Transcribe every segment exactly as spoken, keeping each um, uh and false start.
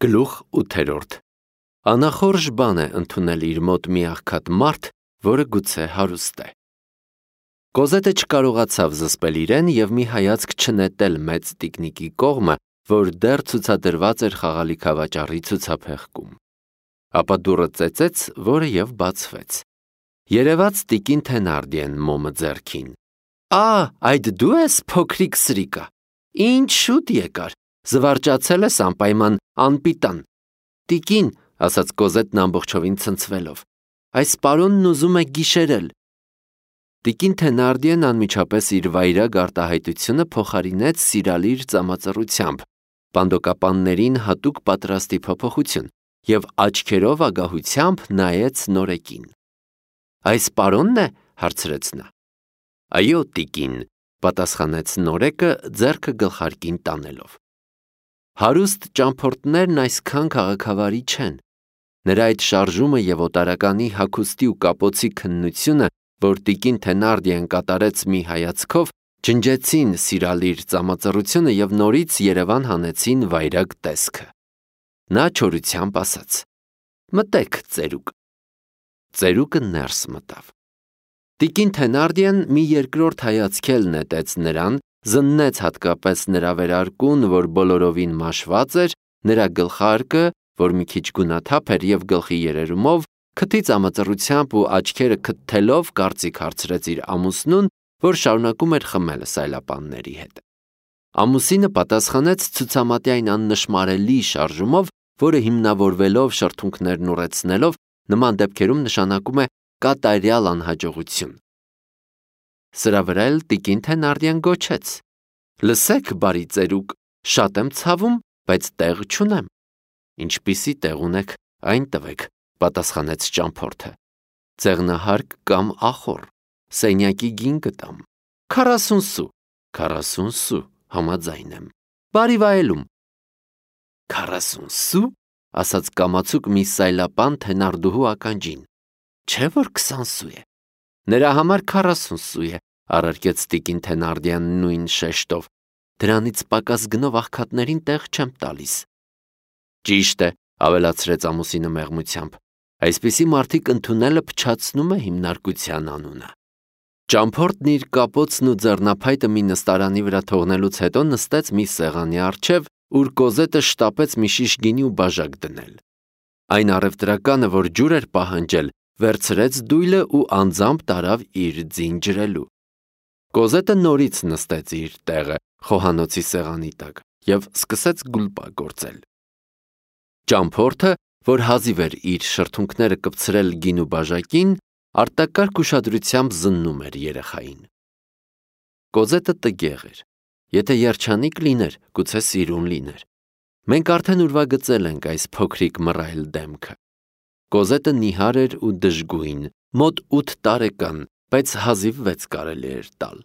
Գլուխ ութերորդ Անախորժ բան է ընդունել իր մոտ մի աղքատ մարդ, որը գուցե հարուստ է։ Կոզետը չկարողացավ զսպել իրեն և մի հայացք չնետել մեծ տիկնիկի կողմը, որ դեռ ցուցադրված էր խաղալիքավաճառի ցուցափեղկում։ Ապա դուռը ծեծեց, որը և բացվեց։ Երևաց տիկին Թենարդիեն մոմը ձեռքին։ Ա, այդ դու ես, փոքրիկ սրիկա, ինչ շուտ եկար, զվարճացել ես անպայման անպիտան։ Տիկին, ասաց Կոզետն ամբողջովին ցնցվելով, այս պարոնն ուզում է գիշերել։ Տիկին Թենարդիեն անմիջապես իր վայրագ արտահայտությունը փոխարինեց սիրալիր ծամածռությամբ, պանդոկապաններին հատուկ պատրաստի փոփոխություն, և աչքերով ագահությամբ նայեց նորեկին։ Այս պարոնն է, հարցրեց նա։ Այո, տիկին, պատասխանեց նորեկը ձեռքը գլխարկին տանելով։ Հարուստ ճամփորդներն այսքան քաղաքավարի չեն։ Նրա այդ շարժումը և օտարականի հագուստի ու կապոցի քննությունը, որ տիկին Թենարդիեն կատարեց մի հայացքով, ջնջեցին սիրալիր ծամածռությունը և նորից Երևան հանեցին վայրագ տեսքը։ Նա չորությամբ ասաց. Մտեք, ծերուկ։ Ծերուկը ներս մտավ։ Տիկին Թենարդիեն մի երկրորդ հայացք էլ նետեց նրան, զննեց հատկապես նրա վերարկուն, որ բոլորովին մաշված էր, նրա գլխարկը, որ մի քիչ գունաթափ էր և գլխի երերումով, քթի ծամածռությամբ ու աչքերը քթթելով կարծիք հարցրեց իր ամուսնուն, որ շարունակում էր խմել սայլապանների հետ։ Ամուսինը պատասխանեց ցուցամատային աննշմարելի շարժումով, որը հիմնավորվելով շրթունքներն ուռեցնելով, նման դեպքերում նշանակում է կատարյալ անհաջողություն։ Սրա վրա էլ տիկին Թենարդիեն գոչեց. Լսեք, բարի ծերուկ, շատ եմ ցավում, բայց տեղ չունեմ։ Ինչպիսի տեղ ունեք, այն տվեք, պատասխանեց ճամփորդը։ Ձեղնահարկ կամ ախոռ, սենյակի գին կտամ։ Քառասուն սու, քառասուն սու, համաձայն եմ։ Բարի վայելում։ Քառասուն սու, ասաց կամացուկ մի սայլապան Թենարդուհու ականջին։ Չէ՞ որ քսան սու է։ Նրա համար քառասուն սու է, առարկեց տիկին Թենարդիան նույն շեշտով։ Դրանից պակաս գնով աղքատներին տեղ չեմ տալիս։ Ճիշտ է, ավելացրեց ամուսինը մեղմությամբ։ Այսպիսի մարդիկ ընդունելը փչացնում է հիմնարկության անունը։ Ճամփորդն իր կապոցն ու ձեռնափայտը մի նստարանի վրա թողնելուց հետո նստեց մի սեղանի առջև, ուր Կոզետը շտապեց մի շիշ գինի ու բաժակ դնել։ Այն առևտրականը, որ ջուր էր պահանջել, վերցրեց դույլը ու անձամբ տարավ իր ձին ջրելու։ Կոզետը նորից նստեց իր տեղը խոհանոցի սեղանի տակ և սկսեց գուլպա գործել։ Ճամփորդը, որ հազիվ էր իր շրթունքները կպցրել գինու բաժակին, արտակարգ ուշադրությամբ զննում էր երեխային։ Կոզետը տգեղ էր։ Եթե երջանիկ լիներ, գուցե սիրուն լիներ։ Մենք արդեն ուրվագծել ենք այս փոքրիկ մռայլ դեմքը։ Կոզետը նիհար էր ու դժգույն, մոտ ութ տարեկան, բայց հազիվ վեց կարելի էր տալ։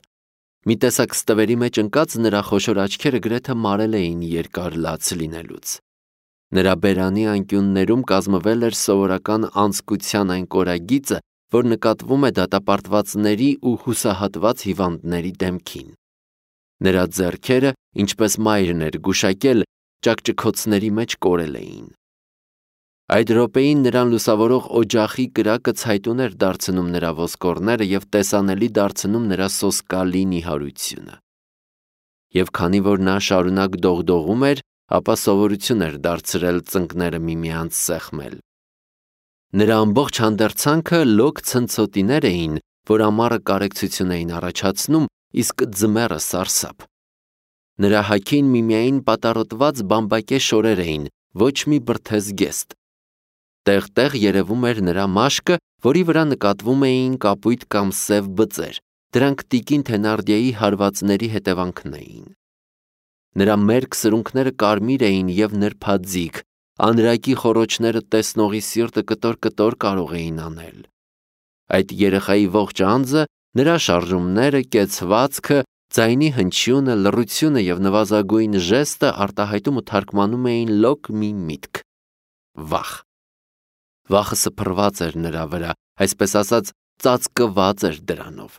Մի տեսակ ստվերի մեջ ընկած նրա խոշոր աչքերը գրեթե մարել էին երկար լաց լինելուց։ Նրա բերանի անկյուններում կազմվել էր սովորական անձկության այն կորագիծը, որ նկատվում է դատապարտվածների ու հուսահատված հիվանդների դեմքին։ Նրա ձեռքերը, ինչպես մայրն էր գուշակել, ճաքճքոցների մեջ կորել էին։ Այդ րոպեին նրան լուսավորող օջախի կրակը ցայտուն էր դարձնում նրա ոսկորները և տեսանելի դարձնում նրա սոսկալի նիհարությունը։ Եվ քանի որ նա շարունակ դողդողում էր, ապա սովորություն էր դարձրել ծնկները միմյանց սեղմել։ Նրա ամբողջ հանդերձանքը լոկ ցնցոտիներ էին, որ ամառը կարեկցություն էին առաջացնում, իսկ ձմեռը սարսափ։ Նրա հագին միմիայն պատառոտված բամբակե շորեր էին, ոչ մի բրդեզգեստ։ Տեղ-տեղ երևում էր նրա մաշկը, որի վրա նկատվում էին կապույտ կամ սև բծեր, դրանք տիկին Թենարդիեի հարվածների հետևանքն էին։ Նրա մերկ սրունքները կարմիր էին և նրբաձիգ, անրակի խոռոչները տեսնողի սիրտը կտոր-կտոր կարող էին անել։ Այդ երեխայի ողջ անձը, նրա շարժումները, կեցվածքը, ձայնի հնչյունը, լռությունը և նվազագույն ժեստը արտահայտում ու թարգմանում էին լոկ մի միտք՝ վախ։ Վախը սփռված էր նրա վրա, այսպես ասած, ծածկված էր դրանով։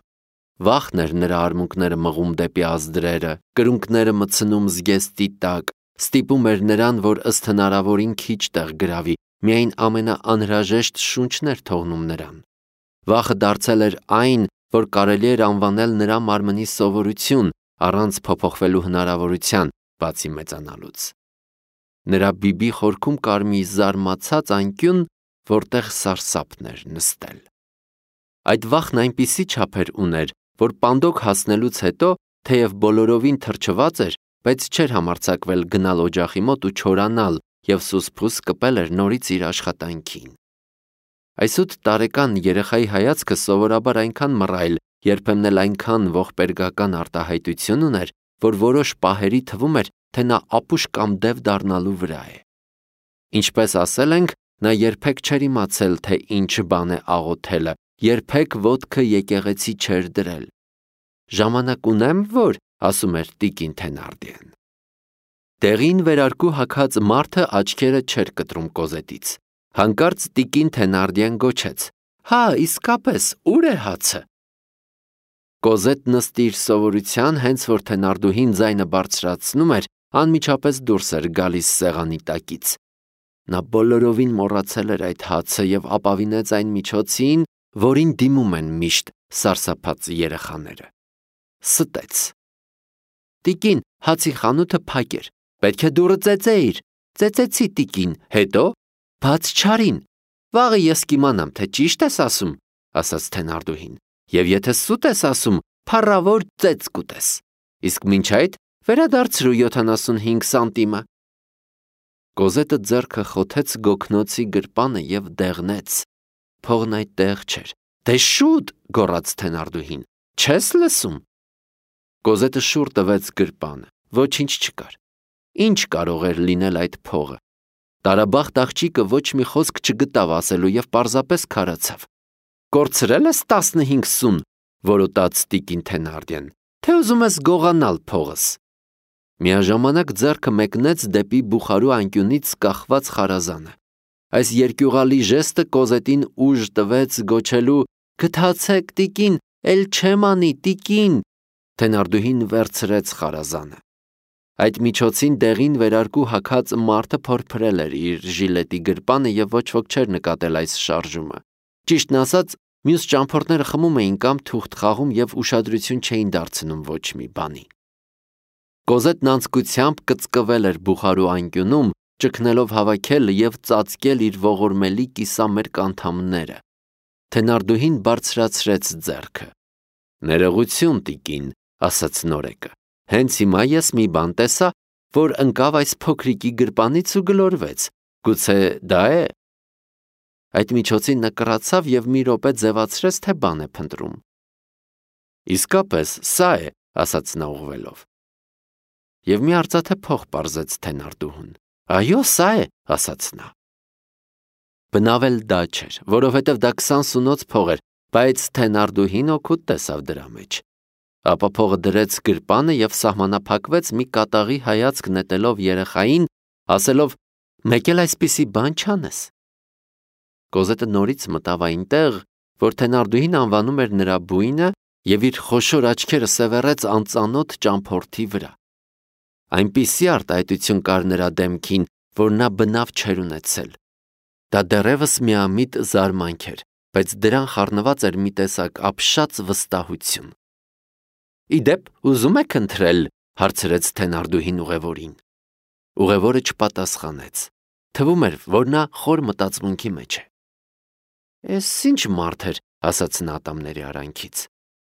Վախն էր նրա արմունկները մղում դեպի ազդրերը, կրունկները մտցնում զգեստի տակ, Ստիպում էր նրան, որ ըստ հնարավորին քիչ տեղ գրավի, միայն ամենաանհրաժեշտ շունչներ թողնում նրան։ Վախը դարձել էր այն, որ կարելի էր անվանել նրա մարմնի սովորություն, առանց փոփոխվելու հնարավորության, բացի մեծանալուց։ Նրա բիբի խորքում կար մի զարմացած անկյուն, որտեղ սարսափն էր նստել։ Այդ վախն այնպիսի չափեր ուներ, որ պանդոկ հասնելուց հետո, թեև բոլորովին թրջված էր, բայց չէր համարձակվել գնալ օջախի մոտ ու չորանալ և սուսփուս կպել էր նորից իր աշխատանքին։ Այս ութ տարեկան երեխայի հայացքը սովորաբար այնքան մռայլ, երբեմն էլ այնքան ողբերգական արտահայտություն ուներ, որ որոշ պահերի թվում էր, թե նա ապուշ կամ դև դառնալու վրա է։ Ինչպես ասել ենք, նա երբեք չէր իմացել, թե ինչ բան է աղոթելը, երբեք ոտքը եկեղեցի չէր դրել։ «Ժամանակ ունեմ, որ», ասում էր տիկին Թենարդիեն։ Տեղին վերարկու հագած մարդը աչքերը չէր կտրում Կոզետից։ Հանկարծ տիկին Թենարդիեն գոչեց. «Հա, իսկապես, ուր է հացը»։ Կոզետն ըստ իր սովորության, հենց որ Թենարդուհին ձայնը բարձրացնում էր, անմիջապես դուրս էր գալիս սեղանի տակից։ Նա բոլորովին մոռացել էր այդ հացը և ապավինեց այն միջոցին, որին դիմում են միշտ սարսափած երեխաները։ Ստեց. «Տիկին, հացի խանութը փակ էր, պետք է դուռը ծեծեիր»։ «Ծեծեցի, տիկին, հետո»։ «Բաց չարին»։ «Վաղը ես կիմանամ, թե ճիշտ ես ասում», ասաց Թենարդուհին, «և եթե սուտ ես ասում, փառավոր ծեծ կուտես։ Իսկ մինչ այդ վերադարձրու յոթանասունհինգ սանտիմը»։ Կոզետը ձեռքը խոթեց գոգնոցի գրպանը և դեղնեց։ Փողն այդտեղ չէր։ «Դե շուտ», գոռաց Թենարդուհին, «չես լսում»։ Կոզետը շուռ տվեց գրպանը։ Ոչինչ չկար։ Ինչ կարող էր լինել այդ փողը։ Տարաբախտ աղջիկը ոչ մի խոսք չգտավ ասելու և պարզապես քարացավ։ «Կորցրել ես տասնհինգ սուն», որոտաց տիկին Թենարդիեն, «թե ուզում ես գողանալ փողս»։ Միաժամանակ ձեռքը մեկնեց դեպի բուխարու անկյունից կախված խարազանը։ Այս երկյուղալի ժեստը Կոզետին ուժ տվեց գոչելու. «Գթացեք, տիկին, էլ չեմ անի, տիկին»։ Թենարդուհին վերցրեց խարազանը։ Այդ միջոցին դեղին վերարկու հագած մարդը փորփրել էր իր ժիլետի գրպանը և ոչ ոք չէր նկատել այս շարժումը։ Ճիշտն ասած, մյուս ճամփորդները խմում էին կամ թուղթ խաղում և ուշադրություն չէին դարձնում ոչ մի բանի։ Կոզետն անձկությամբ կծկվել էր բուխարու անկյունում, ճգնելով հավաքել և ծածկել իր ողորմելի կիսամերկ անդամները։ Թենարդուհին բարձրացրեց ձեռքը։ «Ներողություն, տիկին», ասաց նորեկը, «հենց հիմա ես մի բան տեսա, որ ընկավ այս փոքրիկի գրպանից ու գլորվեց։ Գուցե դա է»։ Այդ միջոցին նա կռացավ և մի րոպե ձևացրեց, թե բան է փնտրում։ «Իսկապես, սա է», ասաց նա ուղղվելով։ Եվ մի արծաթե փող պարզեց Թենարդուհուն։ «Այո, սա է», ասաց նա։ Բնավ էլ դա չէր, որովհետև դա քսան սունոց փող էր, բայց Թենարդուհին օգուտ տեսավ դրա մեջ։ Ապա փողը դրեց գրպանը և սահմանափակվեց մի կատաղի հայացք նետելով երեխային, ասելով. «Մեկ էլ այսպիսի բան չանես»։ Կոզետը նորից մտավ այնտեղ, որ Թենարդուհին անվանում էր նրա բույնը, և իր խոշոր աչքերը սևեռեց անծանոթ ճամփորդի վրա։ Այնպիսի արտահայտություն կար նրա դեմքին, որ նա բնավ չէր ունեցել։ Դա դեռևս միամիտ զարմանք էր, բայց դրան խառնված էր մի տեսակ ապշած վստահություն։ «Ի դեպ, ուզում եք ընտրել», հարցրեց Թենարդուհին ուղևորին։ Ուղևորը չպատասխանեց։ Թվում էր, որ նա խոր մտածմունքի մեջ է։ «Էս ինչ մարդ էր», ասաց նա ատամների արանքից։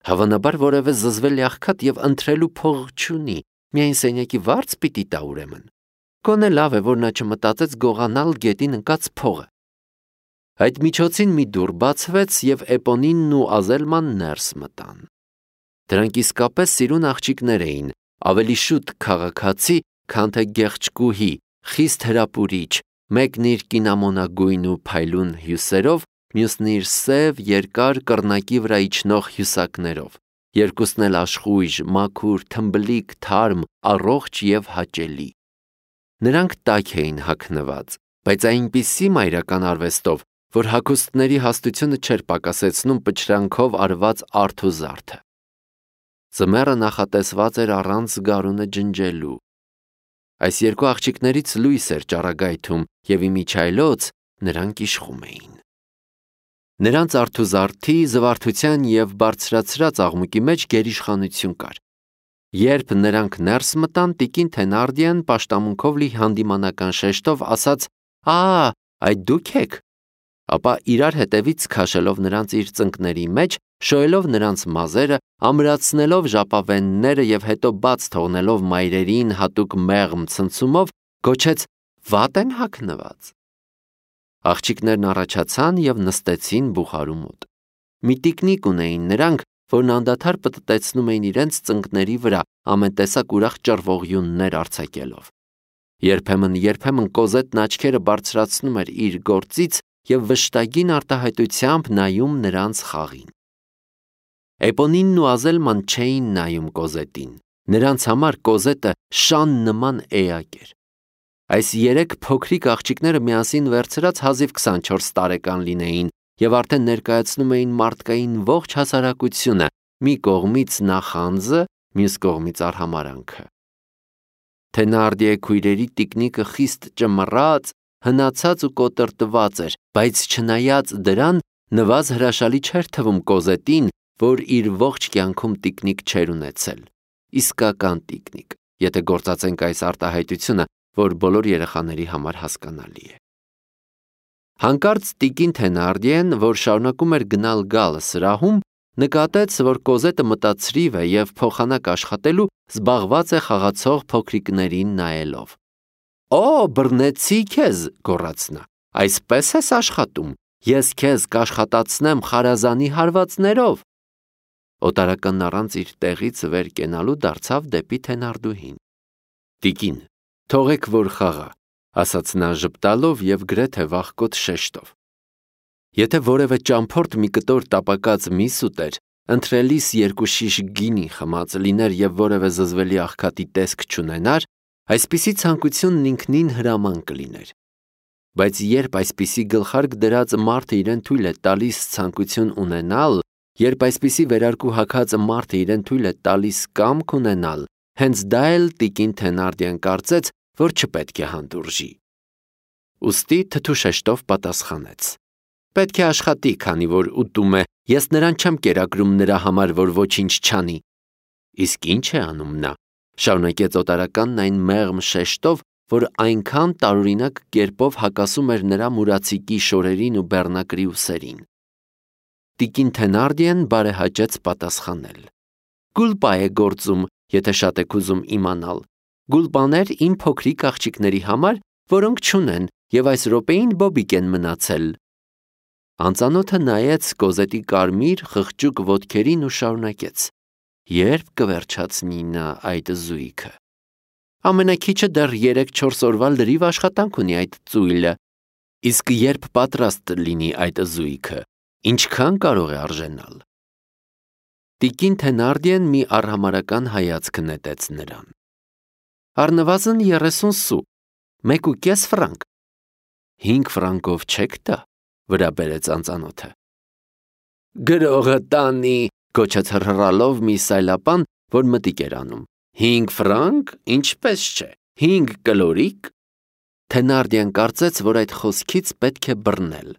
«Հավանաբար որևէ զզվել աղքատ և ընտրելու փող չունի, միայն սենյակի վարձ պիտի տա ուրեմն։ Գոնե լավ է, որ նա չմտածեց գողանալ գետին ընկած փողը»։ Այդ միջոցին մի դուռ բացվեց, և Էպոնինն ու Ազելման ներս մտան։ Դրանք իսկապես սիրուն աղջիկներ էին, ավելի շուտ քաղաքացի, քան թե գեղեցկուհի, խիստ հրապուրիչ, մեկն իր կինամոնագույն ու փայլուն հյուսերով, մյուսն իր սև, երկար կռնակի վրա իջնող հյուսակներով, երկուսն էլ աշխույժ, մաքուր, թմբլիկ, թարմ, առողջ և հաճելի։ Նրանք տաք էին հագնված, բայց այնպիսի մայրական արվեստով, որ հագուստների հաստությունը չէր պակասեցնում պչրանքով արված արդ ու զարդը։ Ձմեռը նախատեսված էր առանց գարունը ջնջելու։ Այս երկու աղջիկներից լույս էր ճառագայթում և իմիջայլոց նրանք իշխում էին։ Նրանց արթուզարդի, զվարթության և բարձրացրած աղմուկի մեջ գերիշխանություն կար։ Երբ նրանք ներս մտան, տիկին Թենարդիեն պաշտամունքով լի հանդիմանական շեշտով ասաց. «Ա, այդ դուք եք», ապա իրար հետևից քաշելով նրանց իր ծնկների մեջ, շոյելով նրանց մազերը, ամրացնելով ժապավենները և հետո բաց թողնելով մայրերին հատուկ մեղմ ցնցումով, գոչեց. «Վատ են հագնված»։ Աղջիկներն առաջացան և նստեցին բուխարու մոտ։ Մի տիկնիկ ունեին նրանք, որն անդադար պտտեցնում էին իրենց ծնկների վրա, ամեն տեսակ ուրախ ճռվողյուններ արձակելով։ Երբեմն-երբեմն Կոզետն աչքերը բարձրացնում էր իր գործից և վշտագին արտահայտությամբ նայում նրանց խաղին։ Էպոնինն ու Ազելման չէին նայում Կոզետին։ Նրանց համար Կոզետը շան նման էակ էր։ Այս երեք փոքրիկ աղջիկները միասին վերցրած հազիվ քսանչորս տարեկան լինեին և արդեն ներկայացնում էին մարդկային ողջ հասարակությունը, մի կողմից նախանձը, մյուս կողմից արհամարհանքը։ Թենարդիե քույրերի տիկնիկը խիստ ճմռած, հնացած ու կոտրտված էր, բայց չնայած դրան, նվազ հրաշալի չէր թվում Կոզետին, որ իր ողջ կյանքում տիկնիկ չէր ունեցել։ Իսկական տիկնիկ, եթե գործածենք այս արտահայտությունը, որ բոլոր երեխաների համար հասկանալի է։ Հանկարծ տիկին Թենարդիեն, որ շարունակում էր գնալ-գալ սրահում, նկատեց, որ Կոզետը մտածրիվ է և փոխանակ աշխատելու զբաղված է խաղացող փոքրիկներին նայելով։ «Օ, բռնեցի քեզ», գոռաց նա, «այսպես ես աշխատում, ես քեզ կաշխատացնեմ խարազանի հարվածներով»։ Օտարականն առանց իր տեղից վեր կենալու դարձավ դեպի Թենարդուհին։ «Տիկին, թողեք որ խաղա», ասաց նա ժպտալով և գրեթե վախկոտ շեշտով։ Եթե որևէ ճամփորդ մի կտոր տապակած միս ուտեր, ընթրելիս երկու շիշ գինի խմած լիներ և որևէ զզվելի աղքատի տեսք չունենար, այսպիսի ցանկությունն ինքնին հրաման կլիներ։ Բայց երբ այսպիսի գլխարկ դրած մարդը իրեն թույլ է տալիս ցանկություն ունենալ, երբ այսպիսի վերարկու հագած մարդը իրեն թույլ է տալիս կամք ունենալ, հենց դա էլ տիկին Թենարդիեն կարծեց, որ չպետք է հանդուրժի։ Ուստի թթու շեշտով պատասխանեց. «Պետք է աշխատի, քանի որ ուտում է, ես նրան չեմ կերակրում նրա համար, որ ոչինչ չանի»։ «Իսկ ի՞նչ է անում նա», շարունակեց օտարականն այն մեղմ շեշտով, որ այնքան տարօրինակ կերպով հակասում էր նրա մուրացիկի շորերին ու բեռնակրի ուսերին։ Տիկին Թենարդիեն բարեհաճեց պատասխանել. «Գուլպա է գործում, եթե շատ եք ուզում իմանալ։ Գուլպաներ իմ փոքրիկ աղջիկների համար, որոնք չունեն և այս րոպեին բոբիկ են մնացել»։ Անծանոթը նայեց Կոզետի կարմիր խղճուկ ոտքերին ու շարունակեց. «Ե՞րբ կվերջացնի նա այդ զույգը։ Ամենաքիչը դեռ երեք-չորս օրվա լրիվ աշխատանք ունի այդ ծույլը։ Իսկ երբ պատրաստ լինի այդ զույգը, ինչքան կարող է արժենալ»։ Տիկին Թենարդիեն մի արհամարհական հայացք նետեց նրան։ «Առնվազն երեսուն սու, մեկ ու կես ֆրանկ»։ «Հինգ ֆրանկով չեք տա», վրա բերեց անծանոթը։ «Գրողը տանի», գոչեց հռհռալով մի սայլապան, որ մտիկ էր անում։ «Հինգ ֆրանկ, ինչպես չէ, հինգ կլորիկ»։ Թենարդիեն կարծեց, որ այդ խոսքից պետք է բռնել։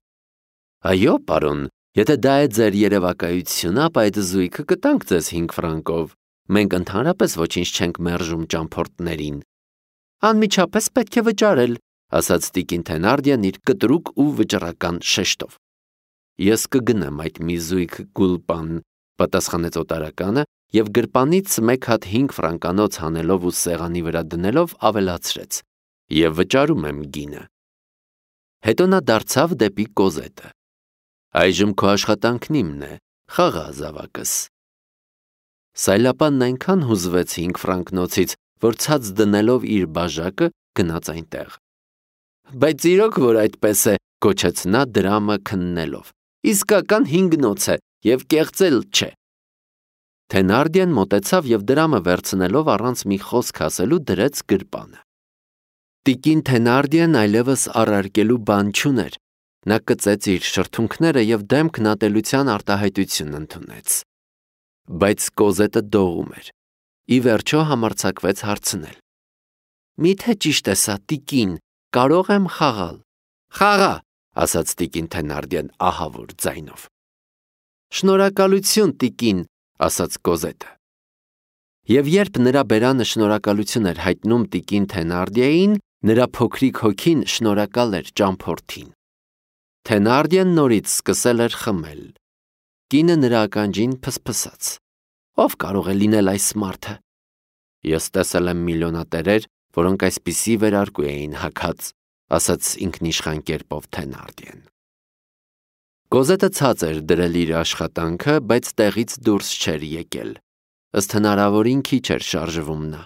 «Այո, պարոն, եթե դա է ձեր երևակայությունը, ապա այդ զույգը կտանք ձեզ հինգ ֆրանկով։ Մենք ընդհանրապես ոչինչ չենք մերժում ճամփորդներին»։ «Անմիջապես պետք է վճարել», ասաց տիկին Թենարդիեն իր կտրուկ ու վճռական շեշտով։ «Ես կգնեմ այդ մի զույգ գուլպան», պատասխանեց օտարականը և գրպանից մեկ հատ հինգ ֆրանկանոց հանելով ու սեղանի վրա դնելով ավելացրեց. «Եվ վճարում եմ գինը»։ Հետո նա դարձավ դեպի Կոզետը. «Այժմ քո աշխատանքն իմն է, խաղա զավակս»։ Սայլապանն այնքան հուզվեց հինգ ֆրանկնոցից, որ ցած դնելով իր բաժակը գնաց այնտեղ։ «Բայց իրոք որ այդպես է», գոչեց նա դրամը քննելով, «իսկական հինգնոց է և կեղծել չէ»։ Թենարդիեն մոտեցավ և դրամը վերցնելով առանց մի խոսք ասելու դրեց գրպանը։ Տիկին Թենարդիեն այլևս առարկելու բան չուներ։ Նա կծեց իր շրթունքները և դեմքն ատելության արտահայտություն ընդունեց։ Բայց Կոզետը դողում էր։ Ի վերջո համարձակվեց հարցնել. Միթե ճիշտ է սա, տիկին, կարող եմ խաղալ։ Խաղա, ասաց տիկին Թենարդիան ահավոր ձայնով։ Շնորհակալություն, տիկին, ասաց Կոզետը։ Եվ երբ նրա բերանը շնորհակալություն էր հայտնում տիկին Թենարդիային, նրա փոքրիկ հոգին շնորհակալ էր ճամփորդին։ Թենարդիան նորից սկսել էր խմել։ Կինը նրա ականջին փսփսաց. Ով կարող է լինել այս մարդը։ Ես տեսել եմ միլիոնատերեր, որոնք այսպիսի վերարկու էին հագած, ասաց ինքնիշխան կերպով Թենարդիան։ Կոզետը ցած էր դրել իր աշխատանքը, բայց տեղից դուրս չէր եկել։ Ըստ հնարավորին քիչ էր շարժվում նա։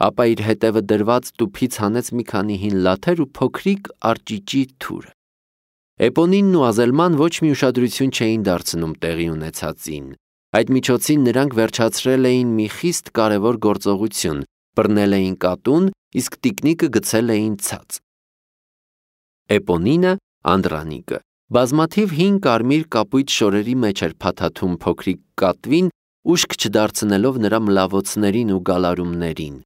Ապա իր հետևը դրված տուփից հանեց մի քանի հին լաթեր ու փոքրիկ արճիճի թուրը։ Էպոնինն ու Ազելման ոչ մի ուշադրություն չէին դարձնում տեղի ունեցածին։ Այդ միջոցին նրանք վերջացրել էին մի խիստ կարևոր գործողություն, բռնել էին կատուն, իսկ տիկնիկը գցել էին ցած։ Էպոնինը, Անդրանիկը, բազմաթիվ հին կարմիր կապույտ շորերի մեջ էր փաթաթում փոքրիկ կատվին, ուշք չդարձնելով նրա մլավոցներին ու գալարումներին։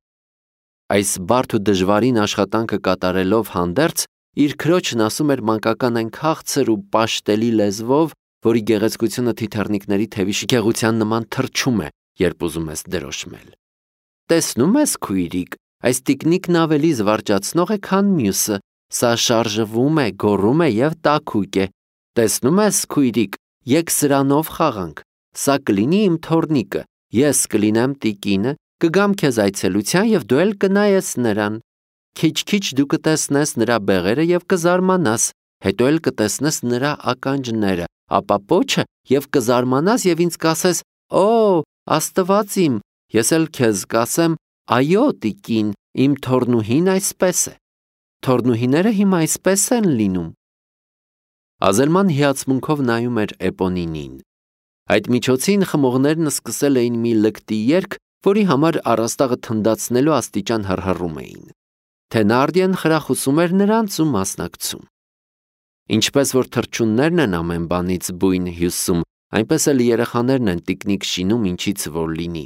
Այս բարդ ու դժվարին աշխատանքը կատարելով հանդերձ, իր քրոջն ասում էր մանկական այն քաղցր ու պաշտելի լեզվով, որի գեղեցկությունը թիթեռնիկների թևի շքեղության նման թռչում է, երբ ուզում ես դրոշմել։ Տեսնում ես, քույրիկ, այս տիկնիկն ավելի զվարճացնող է, քան մյուսը, սա շարժվում է, գոռում է և տաքուկ է։ Տեսնում ես, քույրիկ, եկ սրանով խաղանք, սա կլինի իմ թոռնիկը, ես կլինեմ տիկինը, կգամ քեզ այցելության և դու էլ կնայես նրան։ Քիչ-քիչ դու կտեսնես նրա բեղերը և կզարմանաս, հետո էլ կտեսնես նրա ականջները, ապա պոչը և կզարմանաս և ինձ կասես. «Օ, Աստված իմ», ես էլ քեզ կասեմ. «Այո, տիկին, իմ թոռնուհին այսպես է»։ Թոռնուհիները հիմա այսպես են լինում։ Ազելման հիացմունքով նայում էր Էպոնինին։ Այդ միջոցին խմողներն սկսել էին մի լկտի երգ, որի համար առաստաղը թնդացնելու աստիճան հռհռում էին։ Թենարդիան խրախուսում էր նրանց ու մասնակցում։ Ինչպես որ թռչուններն են ամեն բանից բույն հյուսում, այնպես էլ երեխաներն են տիկնիկ շինում ինչից որ լինի։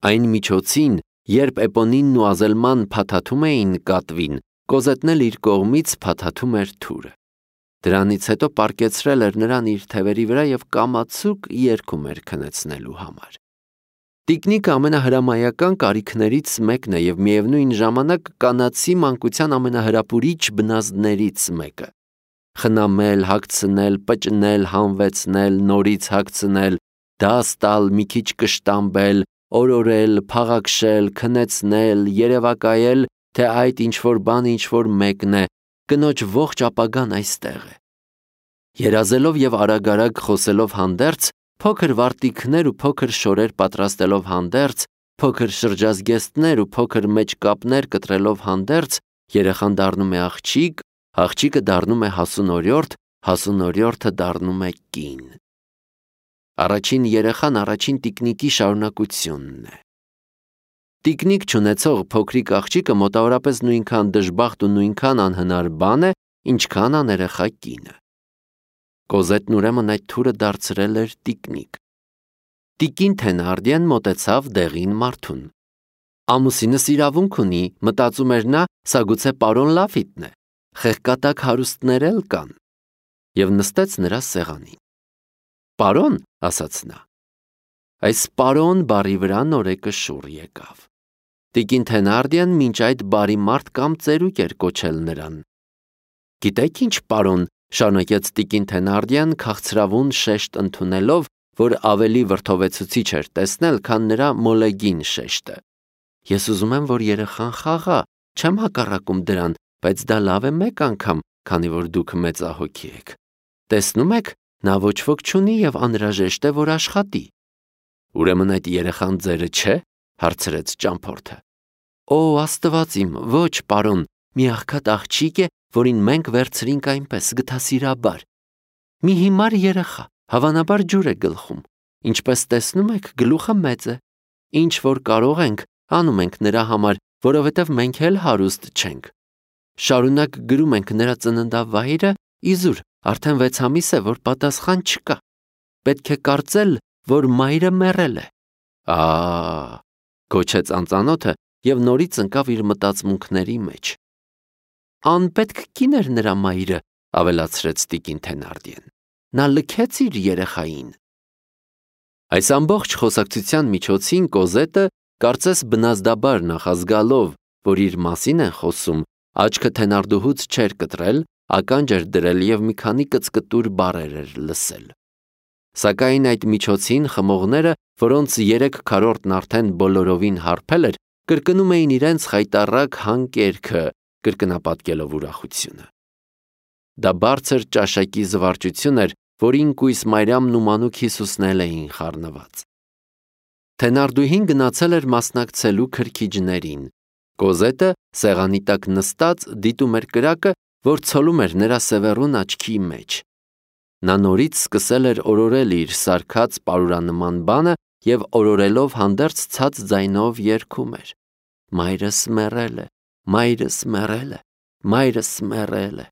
Այն միջոցին, երբ Էպոնինն ու Ազելման փաթաթում էին կատվին, Կոզետն էլ իր կողմից փաթաթում էր թուրը։ Դրանից հետո պառկեցրել էր նրան իր թևերի վրա և կամացուկ երգում էր քնեցնելու համար։ Տիկնիկը ամենահրամայական կարիքներից մեկն է և միևնույն ժամանակ կանացի մանկության ամենահրապուրիչ բնազդներից մեկը։ Խնամել, հագցնել, պճնել, հանվեցնել, նորից հագցնել, դաս տալ, մի քիչ կշտամբել, օրորել, փաղաքշել, քնեցնել, երևակայել, թե այդ ինչ-որ բան ինչ-որ մեկն է, կնոջ ողջ ապագան այստեղ է։ Երազելով և արագ-արագ խոսելով հանդերձ, փոքր վարտիքներ ու փոքր շորեր պատրաստելով հանդերձ, փոքր շրջազգեստներ ու փոքր մեջկապներ կտրելով հանդերձ, երեխան դառնում է աղջիկ, աղջիկը դառնում է հասունորյորդ, հասունորյորդը դառնում է կին։ Առաջին երեխան առաջին տիկնիկի շարունակությունն է։ Տիկնիկ չունեցող փոքրիկ աղջիկը մոտավորապես նույնքան դժբախտ ու նույնքան անհնար բան է, ինչքան աներեխա կինը։ Կոզետն ուրեմն այդ թուրը դարձրել էր տիկնիկ։ Տիկին Թենարդիան մոտեցավ դեղին մարդուն։ Ամուսինս իրավունք ունի, մտածում էր նա, սա գուցե պարոն Լաֆիտն է, խեղկատակ հարուստներ էլ կան, և նստեց նրա սեղանին։ Պարոն, ասաց նա։ Այս պարոն բառի վրա նորեկը շուռ եկավ։ Տիկին Թենարդիան մինչ այդ բարի մարդ կամ ծերուկ էր կոչել նրան։ Գիտեք ինչ, պարոն, շարունակեց տիկին Թենարդիան քաղցրավուն շեշտ ընդունելով, որ ավելի վրդովեցուցիչ էր տեսնել, քան նրա մոլեգին շեշտը։ Ես ուզում եմ, որ երեխան խաղա, չեմ հակառակում դրան, բայց դա լավ է մեկ անգամ, քանի որ դուք մեծահոգի եք։ Տեսնում եք, նա ոչ ոք չունի և անհրաժեշտ է, որ աշխատի։ Ուրեմն այդ երեխան ձերը չէ, հարցրեց ճամփորդը։ Օ, Աստված իմ, ոչ, պարոն, մի աղքատ աղջիկ է, որին մենք վերցրինք այնպես գթասիրաբար։ Մի հիմար երեխա, հավանաբար ջուր է գլխում։ Ինչպես տեսնում եք, գլուխը մեծ է։ Ինչ որ կարող ենք, անում ենք նրա համար, որովհետև մենք էլ հարուստ չենք։ Շարունակ գրում ենք նրա ծննդավայրը, իզուր, արդեն վեց ամիս է, որ պատասխան չկա։ Պետք է կարծել, որ մայրը մեռել է։ Ա, գոչեց անծանոթը և նորից ընկավ իր մտածմունքների մեջ։ «Անպետք կին էր նրա մայրը», ավելացրեց տիկին Թենարդիեն։ «Նա լքեց իր երեխային»։ Այս ամբողջ խոսակցության միջոցին Կոզետը, կարծես բնազդաբար նախազգալով, որ իր մասին են խոսում, աչքը Թենարդուհուց չէր կտրել, ականջ էր դրել և մի քանի կծկտուր բառեր էր լսել։ Սակայն այդ միջոցին խմողները, որոնց երեք քառորդն արդեն բոլորովին հարբել էր, կրկնում էին իրենց խայտառակ հանկերքը, կրկնապատկելով ուրախությունը։ Դա բարձր ճաշակի զվարճություն էր, որին կույս Մարիամն ու մանուկ Հիսուսն էլ էին խառնված։ Թենարդուհին գնացել էր մասնակցելու քրքիջներին։ Կոզետը սեղանի տակ նստած դիտում էր կրակը, որ ցոլում էր նրա սևեռուն աչքի մեջ։ Նա նորից սկսել էր օրորել իր սարքած պարուրանման բանը և օրորելով հանդերձ ցած ձայնով երգում էր. «Մայրս մեռել է, մայրս մեռել է, մայրս մեռել է»։